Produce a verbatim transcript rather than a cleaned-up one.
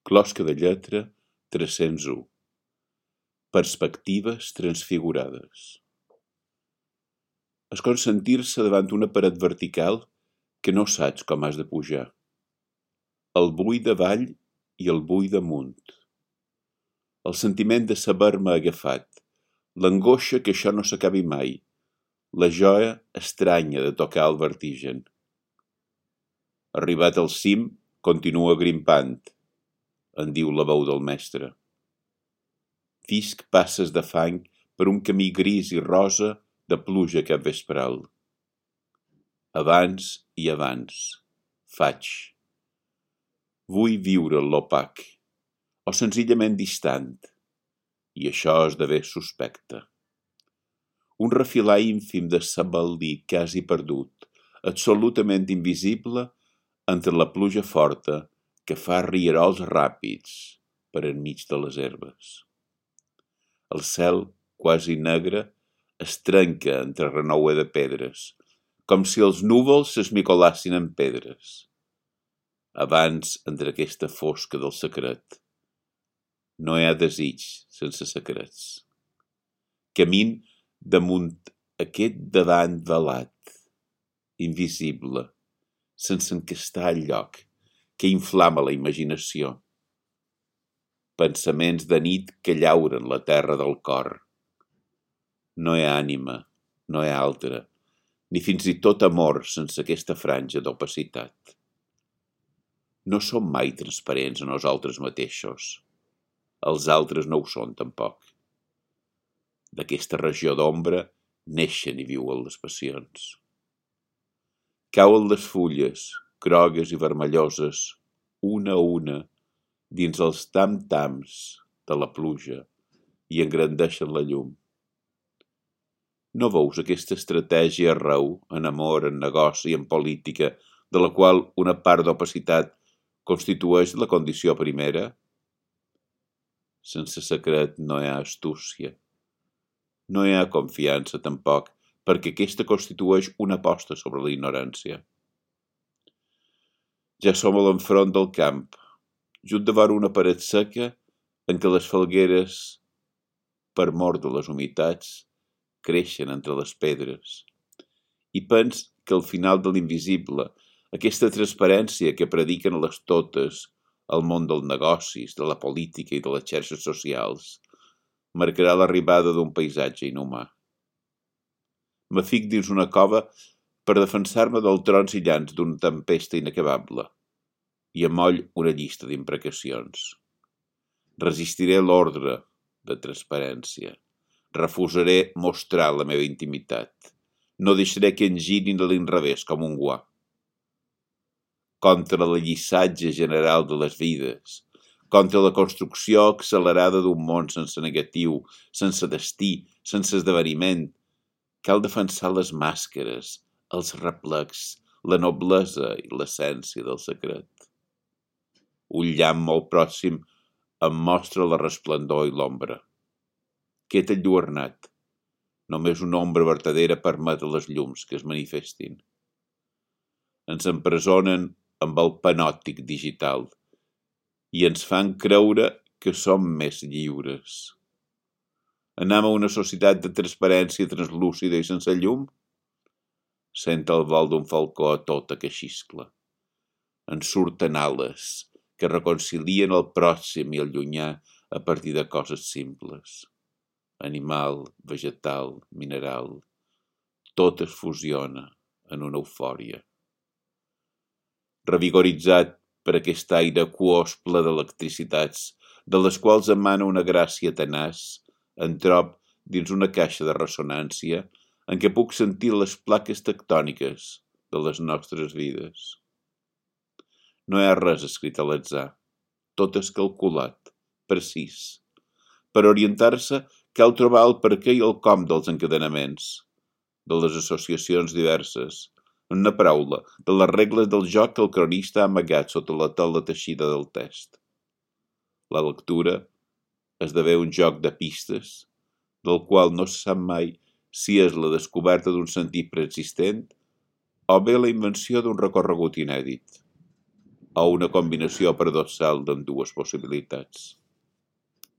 Closca de lletra tres-cents u. Perspectives transfigurades. És com sentir-se davant una paret vertical que no saps com has de pujar. El buit davall i el buit damunt. El sentiment de saber-me agafat, l'angoixa que això no s'acabi mai, la joia estranya de tocar el vertigen. Arribat al cim, continua grimpant, en diu la veu del mestre. Fisc passes de fang per un camí gris i rosa de pluja capvespral. Abans i abans, faig. Vull viure l'opac, o senzillament distant, i això esdevé suspecte. Un refilar ínfim de sabaldí quasi perdut, absolutament invisible entre la pluja forta que fa rierols ràpids per enmig de les herbes. El cel, quasi negre, es trenca entre renoue de pedres, com si els núvols s'esmicolassin en pedres. Abans, entre aquesta fosca del secret, no hi ha desig sense secrets. Camin damunt aquest davant velat, invisible, sense encastar el lloc, que inflama la imaginació. Pensaments de nit que llauren la terra del cor. No hi ha ànima, no hi ha altra, ni fins i tot amor sense aquesta franja d'opacitat. No som mai transparents a nosaltres mateixos. Els altres no ho són tampoc. D'aquesta regió d'ombra neixen i viuen les passions. Cauen les fulles, grogues i vermelloses, una a una, dins els tam-tams de la pluja i engrandeixen la llum. No veus aquesta estratègia arreu, en amor, en negoci, en política, de la qual una part d'opacitat constitueix la condició primera? Sense secret no hi ha astúcia. No hi ha confiança, tampoc, perquè aquesta constitueix una aposta sobre la ignorància. Ja som a l'enfront del camp, just davant una paret seca en què les falgueres, per mort de les humitats, creixen entre les pedres. I pens que al final de l'invisible, aquesta transparència que prediquen les totes al món dels negocis, de la política i de les xarxes socials, marcarà l'arribada d'un paisatge inhumà. Me fic dins una cova per defensar-me del trons i llans d'una tempesta inacabable i amoll una llista d'imprecacions. Resistiré l'ordre de transparència. Refusaré mostrar la meva intimitat. No deixaré que em girin a l'inrevés com un guà. Contra l'allissatge general de les vides, contra la construcció accelerada d'un món sense negatiu, sense destí, sense esdeveniment, cal defensar les màscares, els replecs, la noblesa i l'essència del secret. Un llamp molt pròxim em mostra la resplendor i l'ombra. Qued enlluernat. Només una ombra vertadera permet a les llums que es manifestin. Ens empresonen amb el panòptic digital i ens fan creure que som més lliures. Anem a una societat de transparència translúcida i sense llum? Sent el vol d'un falcó a tota que xiscla. En surten ales que reconcilien el pròxim i el llunyà a partir de coses simples. Animal, vegetal, mineral, tot es fusiona en una eufòria. Revigoritzat per aquest aire aquós ple d'electricitats, de les quals emana una gràcia tenaç, em trob dins una caixa de ressonància en què puc sentir les plaques tectòniques de les nostres vides. No hi ha res escrit a l'atzar, tot és calculat, precís. Per orientar-se cal trobar el perquè i el com dels encadenaments, de les associacions diverses, en una paraula, de les regles del joc que el cronista ha amagat sota la tela teixida del text. La lectura esdevé un joc de pistes, del qual no se sap mai si és la descoberta d'un sentit preexistent o bé la invenció d'un recorregut inèdit. o una combinació paradoxal d'ambdues possibilitats.